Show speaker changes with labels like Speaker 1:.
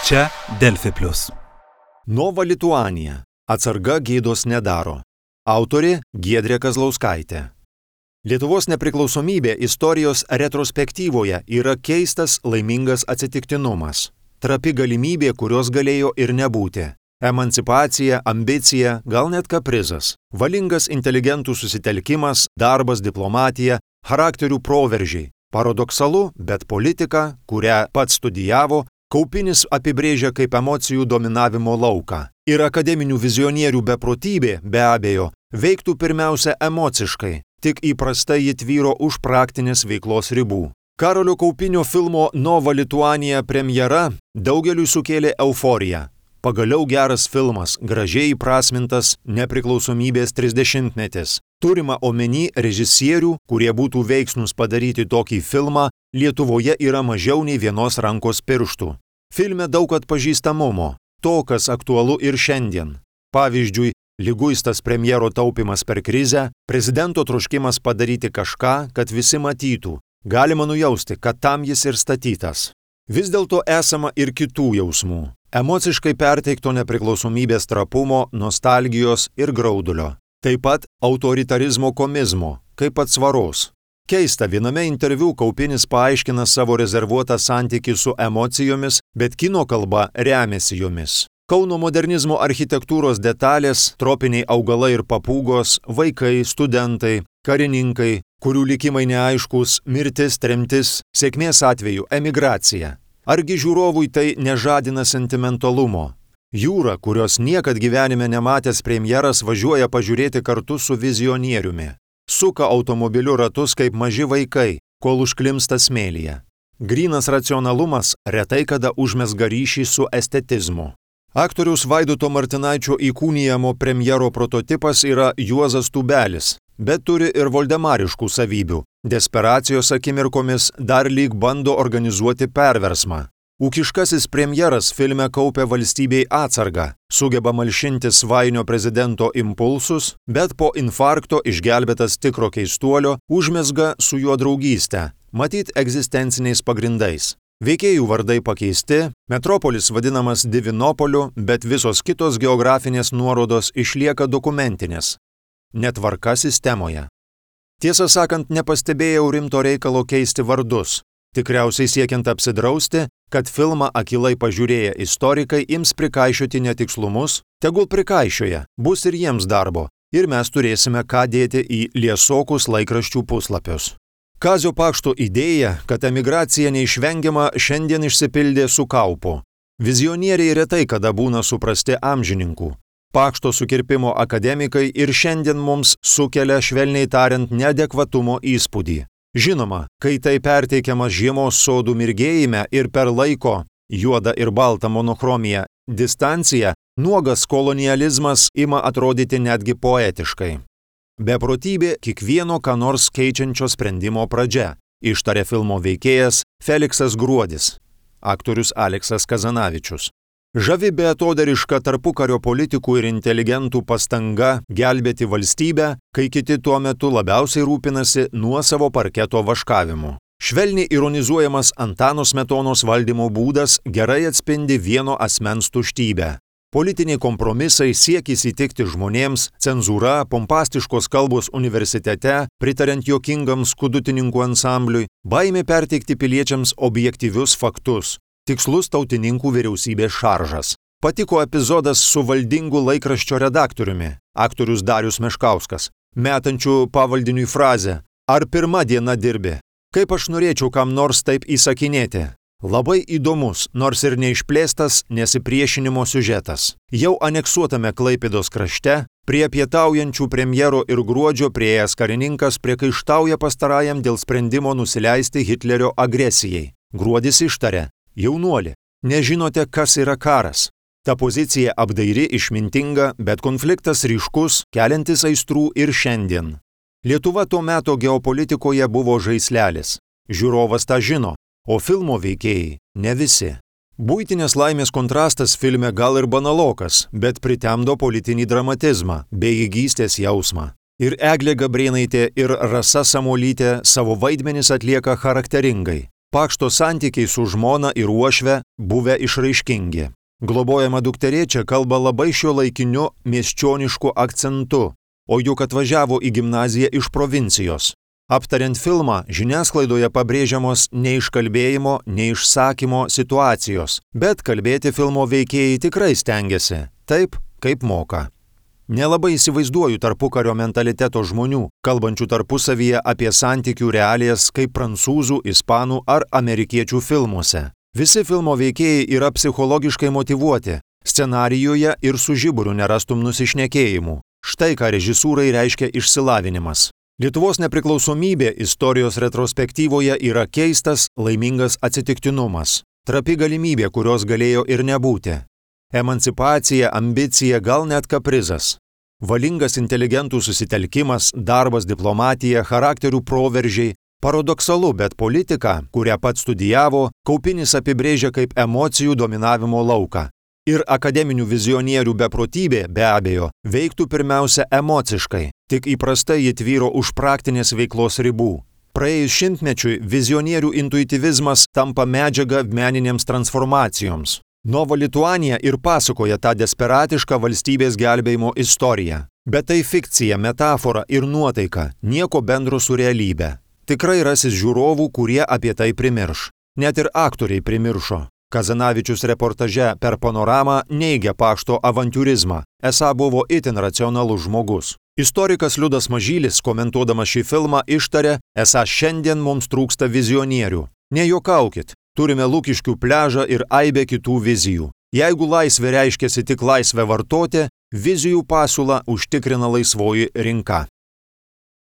Speaker 1: Čia Delfi Plius.
Speaker 2: Nova Lituanija. Atsarga gėdos nedaro. Autorė Giedrė Kazlauskaitė. Lietuvos nepriklausomybė istorijos retrospektyvoje yra keistas laimingas atsitiktinumas. Trapi galimybė, kurios galėjo ir nebūti. Emancipacija, ambicija, gal net kaprizas. Valingas inteligentų susitelkimas, darbas, diplomatija, charakterių proveržiai. Paradoksalu, bet politika, kurią pats studijavo, Kaupinis apibrėžia kaip emocijų dominavimo lauką. Ir akademinių vizionierių beprotybė, be abejo, veiktų pirmiausia emociškai, tik įprastai ji tvyro už praktinės veiklos ribų. Karolio Kaupinio filmo Nova Lituanija premjera daugeliui sukėlė euforiją. Pagaliau geras filmas, gražiai įprasmintas nepriklausomybės 30-metis. Turima omeny režisierių, kurie būtų veiksnūs padaryti tokį filmą, Lietuvoje yra mažiau nei vienos rankos pirštų. Filme daug atpažįstamumo, to, kas aktualu ir šiandien. Pavyzdžiui, liguistas premjero taupimas per krizę, prezidento troškimas padaryti kažką, kad visi matytų. Galima nujausti, kad tam jis ir statytas. Vis dėlto esama ir kitų jausmų. Emociškai perteikto nepriklausomybės trapumo, nostalgijos ir graudulio. Taip pat autoritarizmo komizmo, kaip atsvaros. Keista, viename interviu Kaupinis paaiškina savo rezervuotą santykį su emocijomis, bet kino kalba remiasi jomis. Kauno modernizmo architektūros detalės, tropiniai augalai ir papūgos, vaikai, studentai, karininkai, kurių likimai neaiškus, mirtis, tremtis, sėkmės atveju emigracija. Argi žiūrovui tai nežadina sentimentalumo? Jūra, kurios niekad gyvenime nematęs premjeras, važiuoja pažiūrėti kartu su vizionieriumi. Suka automobiliu ratus kaip maži vaikai, kol užklimsta smėlyje. Grynas racionalumas retai kada užmezga ryšį su estetizmu. Aktoriaus Vaidoto Martinaičio įkūnijamo premjero prototipas yra Juozas Tubelis, bet turi ir voldemariškų savybių. Desperacijos akimirkomis dar lyg bando organizuoti perversmą. Ūkiškasis premjeras filme kaupia valstybei atsargą, sugeba malšinti svainio prezidento impulsus, bet po infarkto išgelbėtas tikro keistuolio užmezga su juo draugystę, matyt egzistenciniais pagrindais. Veikėjų vardai pakeisti, metropolis vadinamas Divinopoliu, bet visos kitos geografinės nuorodos išlieka dokumentinės. Netvarka sistemoje. Tiesą sakant, nepastebėjau rimto reikalo keisti vardus. Tikriausiai siekiant apsidrausti, kad filmą akylai pažiūrėję istorikai ims prikaišioti netikslumus, tegul prikaišioja, bus ir jiems darbo, ir mes turėsime ką dėti į liesokus laikraščių puslapius. Kazio Pakšto idėja, kad emigracija neišvengiama, šiandien išsipildė su Kaupu. Vizionieriai retai kada būna suprasti amžininkų. Pakšto sukirpimo akademikai ir šiandien mums sukelia, švelniai tariant, neadekvatumo įspūdį. Žinoma, kai tai perteikiamas žiemos sodų mirgėjime ir per laiko, juoda ir balta monochromija, distancija, nuogas kolonializmas ima atrodyti netgi poetiškai. Beprotybė kiekvieno ką nors keičiančio sprendimo pradžia, ištarė filmo veikėjas Feliksas Gruodis, aktorius Aleksas Kazanavičius. Žavi beatodariška tarpukario politikų ir inteligentų pastanga gelbėti valstybę, kai kiti tuo metu labiausiai rūpinasi nuosavo parketo vaškavimu. Švelniai ironizuojamas Antano Smetonos valdymo būdas gerai atspindi vieno asmens tuštybę. Politiniai kompromisai, siekis įtikti žmonėms, cenzūra, pompastiškos kalbos universitete, pritariant juokingam skudutininkų ansambliui, baimė perteikti piliečiams objektyvius faktus. Tikslus tautininkų vyriausybės šaržas. Patiko epizodas su valdingu laikraščio redaktoriumi, aktorius Darius Meškauskas, metančiu pavaldiniui frazę "Ar pirma diena dirbi? Kaip aš norėčiau kam nors taip įsakinėti?" Labai įdomus, nors ir neišplėstas nesipriešinimo siužetas. Jau aneksuotame Klaipėdos krašte, prie pietaujančių premjero ir Gruodžio priėjęs karininkas priekaištauja pastarajam dėl sprendimo nusileisti Hitlerio agresijai. Gruodis ištarė: "Jaunuoli, nežinote, kas yra karas." Ta pozicija apdairi, išmintinga, bet konfliktas ryškus, keliantis aistrų ir šiandien. Lietuva tuo meto geopolitikoje buvo žaislelis. Žiūrovas tą žino, o filmo veikėjai ne visi. Buitinės laimės kontrastas filme gal ir banalokas, bet pritemdo politinį dramatizmą, bejėgystės jausmą. Ir Eglė Gabrėnaitė, ir Rasa Samuolytė savo vaidmenis atlieka charakteringai. Pakšto santykiai su žmona ir uošve buvę išraiškingi. Globojama dukterė čia kalba labai šiuolaikiniu miesčionišku akcentu, o juk atvažiavo į gimnaziją iš provincijos. Aptariant filmą, žiniasklaidoje pabrėžiamos neiškalbėjimo, neišsakymo situacijos, bet kalbėti filmo veikėjai tikrai stengiasi, taip, kaip moka. Nelabai įsivaizduoju tarpukario mentaliteto žmonių, kalbančių tarpusavyje apie santykių realijas kaip prancūzų, ispanų ar amerikiečių filmuose. Visi filmo veikėjai yra psichologiškai motyvuoti, scenarijuje ir su žiburiu nerastum nusišnekėjimų. Štai ką režisūrai reiškia išsilavinimas. Lietuvos nepriklausomybė istorijos retrospektyvoje yra keistas, laimingas atsitiktinumas. Trapi galimybė, kurios galėjo ir nebūti. Emancipacija, ambicija, gal net kaprizas. Valingas inteligentų susitelkimas, darbas, diplomatija, charakterių proveržiai. Paradoksalu, bet politika, kurią pats studijavo, Kaupinis apibrėžia kaip emocijų dominavimo lauką. Ir akademinių vizionierių beprotybė, be abejo, veiktų pirmiausia emociškai, tik įprastai ji tvyro už praktinės veiklos ribų. Praėjus šimtmečiui vizionierių intuityvizmas tampa medžiaga meninėms transformacijoms. Nova Lituanija ir pasakoja tą desperatišką valstybės gelbėjimo istoriją. Bet tai fikcija, metafora ir nuotaika, nieko bendro su realybe. Tikrai rasis žiūrovų, kurie apie tai primirš. Net ir aktoriai primiršo. Kazanavičius reportaže per Panoramą neigia Pakšto avantiūrizmą, esą buvo itin racionalus žmogus. Istorikas Liudas Mažylis, komentuodamas šį filmą, ištarė, esą šiandien mums trūksta vizionierių. Nejuokaukit, turime Lukiškių pliažą ir aibę kitų vizijų. Jeigu laisvė reiškiasi tik laisvę vartoti, vizijų pasiūlą užtikrina laisvoji rinka.